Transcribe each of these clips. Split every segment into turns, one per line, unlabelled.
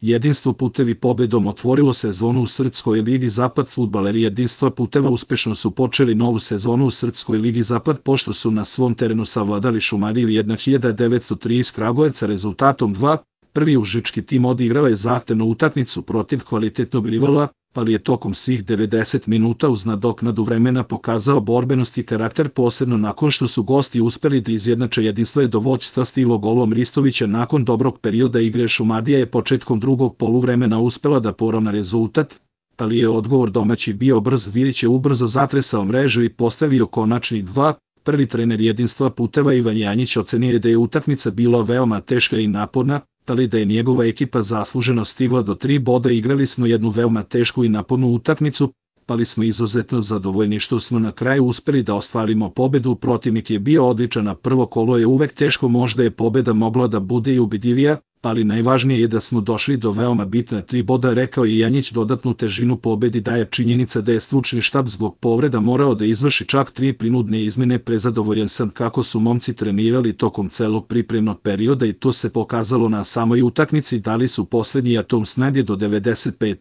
Jedinstvo Putevi pobedom otvorilo sezonu u Srpskoj ligi Zapad. Fudbaleri Jedinstva Puteva uspešno su počeli novu sezonu u Srpskoj ligi Zapad pošto su na svom terenu savladali Šumadiju 1903 iz Kragujevca rezultatom 2. Prvi užički tim odigrao je zahtevnu utakmicu protiv kvalitetnog rivala, ali je tokom svih 90 minuta uz nadoknadu vremena pokazao borbenost i karakter, posebno nakon što su gosti uspeli da izjednače. Jedinstvo je do vođstva stiglo golom Ristovića. Nakon dobrog perioda igre Šumadija je početkom drugog poluvremena uspela da poravna rezultat, ali je odgovor domaći bio brz. Vilić je ubrzo zatresao mrežu i postavio konačni 2. Prvi trener Jedinstva Puteva Ivan Janjić ocenio da je utakmica bila veoma teška i naporna, ali da je njegova ekipa zasluženo stigla do 3 boda. Igrali smo jednu veoma tešku i napornu utakmicu, ali smo izuzetno zadovoljni što smo na kraju uspeli da ostvarimo pobedu. Protivnik je bio odličan, a prvo kolo je uvek teško, možda je pobeda mogla da bude i ubedljivija, ali najvažnije je da smo došli do veoma bitna 3 boda, rekao je Janjić. Dodatnu težinu pobedi daje činjenica da je stručni štab zbog povreda morao da izvrši čak 3 prinudne izmene. Prezadovoljan sam kako su momci trenirali tokom celog pripremnog perioda i to se pokazalo na samoj utakmici. Dali su poslednji atom snage do 95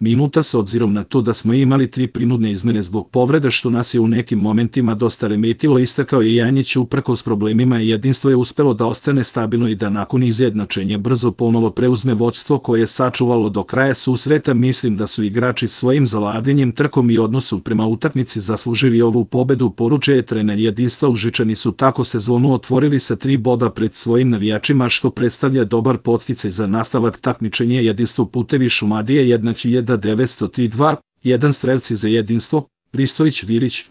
minuta, s obzirom na to da smo imali 3 prinudne izmene zbog povreda što nas je u nekim momentima dosta remetilo, istakao je Janjić. Uprkos problemima Jedinstvo je uspelo da ostane stabilno i da nakon izjednačenja brzo ponovo preuzme vođstvo koje je sačuvalo do kraja susreta. Mislim da su igrači svojim zalaganjem, trkom i odnosu prema utakmici zaslužili ovu pobedu, poručuje trener Jedinstva. Užičani su tako sezonu otvorili sa 3 boda pred svojim navijačima, što predstavlja dobar podsticaj za nastavak takmičenja. Jedinstvo Putevi Šumadije 1903-2, 1 strelci za Jedinstvo, Ristović, Vilić.